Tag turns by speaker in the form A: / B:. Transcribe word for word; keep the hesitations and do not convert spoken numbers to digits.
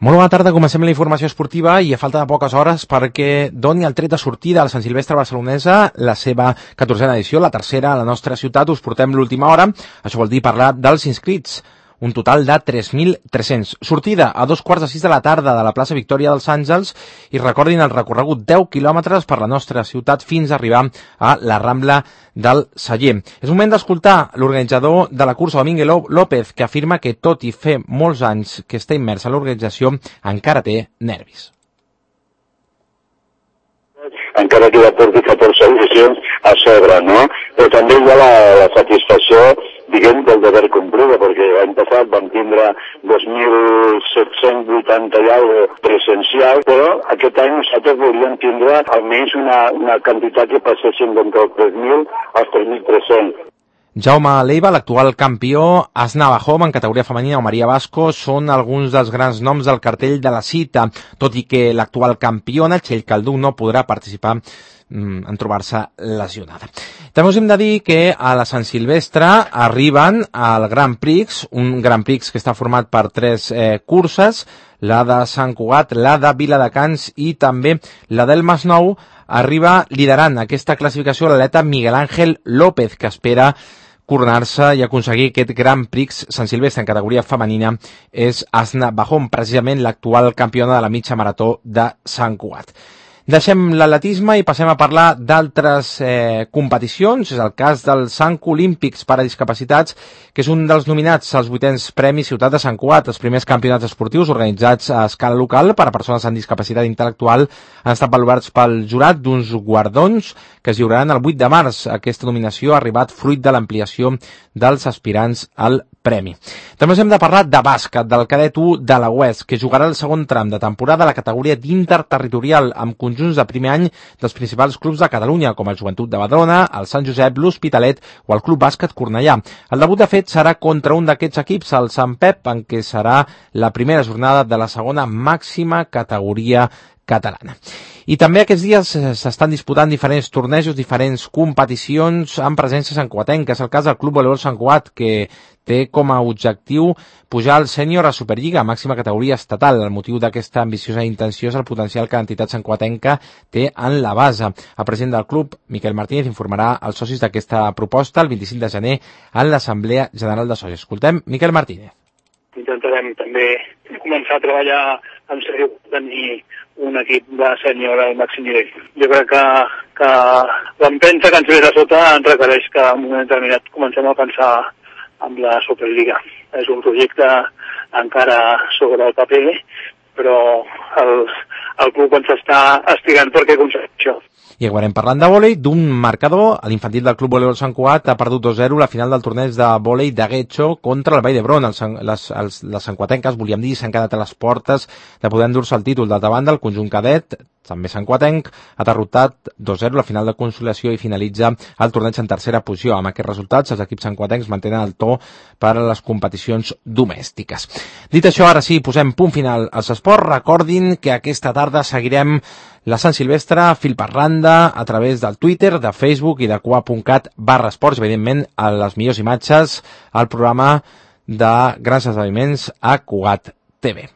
A: Molt bona tarda, comencem la informació esportiva i a falta de poques hores perquè doni el tret de sortida a la Sant Silvestre barcelonesa, la seva catorzena edició, la tercera a la nostra ciutat. Us portem l'última hora, això vol dir parlar dels inscrits, un total de tres mil tres-cents. Sortida a dos quarts de sis de la tarda de la plaça Victòria dels Àngels i recordin el recorregut deu quilòmetres per la nostra ciutat fins a arribar a la Rambla del Celler. És moment d'escoltar l'organitzador de la cursa, Domínguez López, que afirma que tot i fer molts anys que està immers en l'organització, encara té nervis.
B: Encara que ja porti catorze edicions a sobre, no? Però també hi ha la, la satisfacció, diguem, del deber complida, perquè l'any passat vam tindre dos mil set-cents vuitanta i alguna cosa presencial, però aquest any nosaltres volíem tindre almenys una, una quantitat que passessin d'entre els tres mil als tres mil tres-cents.
A: Jaume Leiva, l'actual campió, Asna Bajom en categoria femenina o Maria Vasco són alguns dels grans noms del cartell de la cita, tot i que l'actual campiona, Txell Caldú, no podrà participar mm, en trobar-se lesionada. També us hem de dir que a la Sant Silvestre arriben al Grand Prix, un Grand Prix que està format per tres eh, curses, la de Sant Cugat, la de Viladecans i també la del Masnou. Arriba liderant aquesta classificació l'atleta Miguel Ángel López, que espera coronar-se i aconseguir aquest Grand Prix Sant Silvestre en categoria femenina. És Asna Bajom, precisament l'actual campiona de la mitja marató de Sant Cugat. Deixem l'atletisme i passem a parlar d'altres eh, competicions. És el cas dels Sanco Olímpics per a discapacitats, que és un dels nominats als vuitens Premis Ciutat de Sant Cugat. Els primers campionats esportius organitzats a escala local per a persones amb discapacitat intel·lectual han estat valorats pel jurat d'uns guardons que es lliuraran el vuit de març. Aquesta nominació ha arribat fruit de l'ampliació dels aspirants al premi. També us hem de parlar de bàsquet, del cadet u de la U E S, que jugarà el segon tram de temporada a la categoria d'interterritorial amb conjunts de primer any dels principals clubs de Catalunya, com el Joventut de Badalona, el Sant Josep, l'Hospitalet o el Club Bàsquet Cornellà. El debut, de fet, serà contra un d'aquests equips, el Sant Pep, en què serà la primera jornada de la segona màxima categoria catalana. I també aquests dies s'estan disputant diferents tornejos, diferents competicions amb presència santcugatenca. És el cas del Club Voleibol Sant Cugat, que té com a objectiu pujar al sènior a Superliga, màxima categoria estatal. El motiu d'aquesta ambiciosa intenció és el potencial que l'entitat santcugatenca té en la base. El president del club, Miquel Martínez, informarà als socis d'aquesta proposta el vint-i-cinc de gener en l'Assemblea General de Socis. Escoltem Miquel Martínez.
C: Intentarem també començar a treballar en sèrio per tenir un equip de sènior al màxim nivell. Jo crec que, que l'empenta que ens ve de sota ens requereix que en un moment determinat comencem a pensar en la Superliga. És un projecte encara sobre el paper, però el, el club ens està estirant perquè aconsegueix això.
A: I acabarem parlant de vòlei, d'un marcador. L'infantil del Club Voleibol Sant Cugat ha perdut dos zero la final del torneig de vòlei de Guetxo contra el Vall d'Hebron. Les, les, les santcuatenques, volíem dir, s'han quedat a les portes de poder endur-se el títol. D'altra banda, el conjunt cadet, també santcuatenc, ha derrotat dos zero la final de consolació i finalitza el torneig en tercera posició. Amb aquests resultats, els equips santcuatencs mantenen el to per a les competicions domèstiques. Dit això, ara sí, posem punt final als esports. Recordin que aquesta tarda seguirem la Sant Silvestre fil per randa a través del Twitter, de Facebook i de cua punt cat barra esports, evidentment a les millors imatges al programa de grans esdeveniments a Cugat T V.